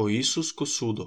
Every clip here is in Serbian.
O Isus ко судо.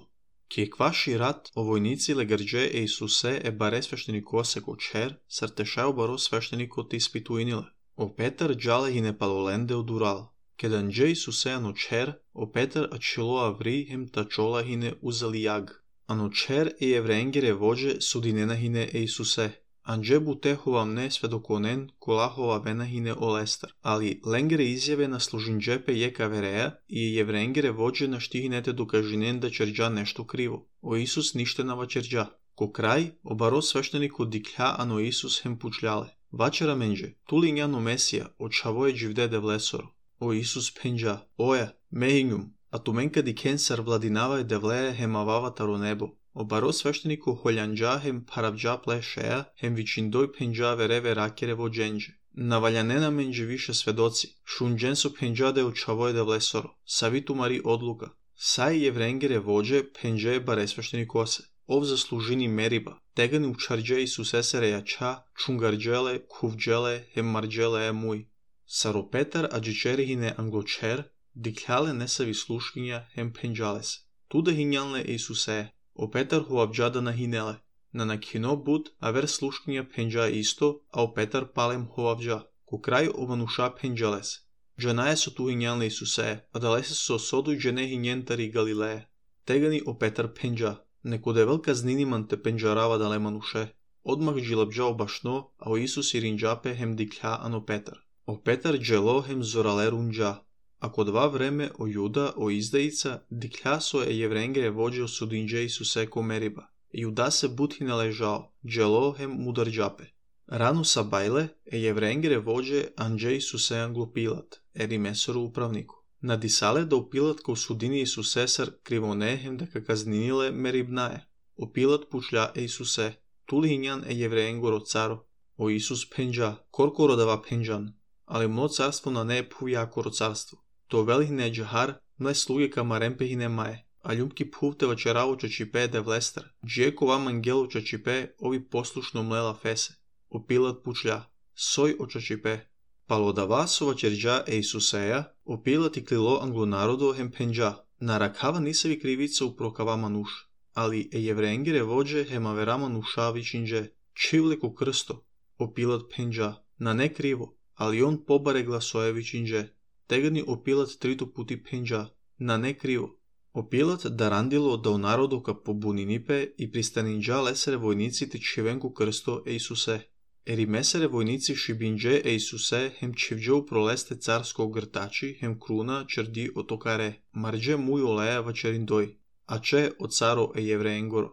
Ки екваши рат, о војници легарџе е Исусе е баре свештеникосе ко чер, сартешао баро свештеникот испитуиниле. О Петар джале хине палоленде одурал. Кеданџе Исусе ано чер, о Петар ачило аври хем тачола хине узали јаг. Ано чер е евреенгере воџе судинена хине е Исусе. Анџе буте ховамне сведоконен кола ховавена хине олестар. Али ленгере изјаве на служинџепе јека вереја и евреенгере воџе на штихинете докажинен да черџа нешто криво. О Исус ништенава черџа. Ко крај, обаро свештеникот диклја ано Исус хем пучлјале. Вачера менџе, тули њано Месија, очавое дживде влесоро. О Исус пенџа, оја, мејњум, а туменка ди кенсар владинава девлее хемавава таро небо. Обаро свештенико холјанџа хем паравџа плешеја, хем вичиндој пенџа вереве ракере во дженџе. Наваљанена менџе више сведоци, шунџен со пенџа де очавое де влесоро. Савиту мари одлука. Сај евренгере воџе пенџе баре свештеникосе. Ов заслужини мериба. Тегани учарџе Исусе се рејача, чунгарџеле, кувџеле, хем марџеле е муј. Саро Петар аџичери хине англочер, диклјале несави слушкиња хем пенџале се. Туда хињалне Исусе. О Петар ховавџада на хинеле. На накино буд, авер слушкиња пенџа исто, а о Петар палем ховавџа. Ко крај овануша пенџале се. Джанае со ту хињалне Исусе, а дале се со содуј джене хињентари Галилеја. Тегани о Петар пенџа. Некодевел казниниман те пенџарава дале мануше. Одмах джилабџа обашно, а о Исус иринџапе хем диклја ано Петар. О Петар джело хем зорале рунџа. Ако два време о Јуда, о издаица, диклја со е евренгере воџе осудинџе Исусе ко мериба. Јуда се бутхи належао, джело хем мударџапе. Рано сабајле е евренгере воџе анџе Исусе англопилат, ери месоро управнико. Надисале да опилат ко судини Исусе сар кривоне хем дека казниниле мерибнае. Опилат пучлја е Исусе. Тули хињан е евреенгоро царо. О Исус пенџа, коркоро дава пенџан. Али мно царство на не е пујакоро царство. То велихне джахар, мле слуге камаремпе хине мае. А љумки пувте вачераво чачипе де влестра. Джиеко вам ангело чачипе, ови послушно млела фесе. Опилат пучлја. Сој очачипе. Палодава со вачерџа е Исусеја, опилат и клило англонародо хем пенџа. На ракава нисави кривица упрокава мануш. Али е евреенгере воџе хемавера мануша вичиндже. Чивлеко крсто. Опилат пенџа. На не криво. Али он побаре гласое вичиндже. Тегани опилат трито пути пенџа. На не криво. Опилат дарандило да народо ка побунинипе и пристанинџа лесере војниците чивенко крсто е Исусе. Ери месере војници шибиндже е Исусе хем чивџе упролесте царско гртачи хем круна черди отокаре. Марџе муј олеја вачериндој. А че о царо е евреенгоро.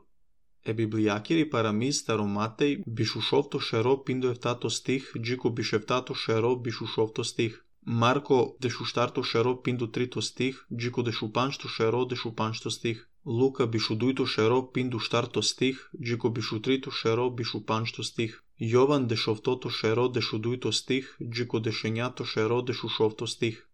Е библијакири парамиз таро Матеј бишушовто шеро пиндо ефтато стих, джико бишефтато шеро бишушовто стих. Марко дешуштарто шеро пинду трито стих, джико дешупаншто шеро дешупаншто стих. Лука бишудујто шеро пинду штарто стих, джико бишутрито шеро бишупаншто стих. Јован дешовтото шеро дешудујто стих, джико дешењато шеро дешушовто стих.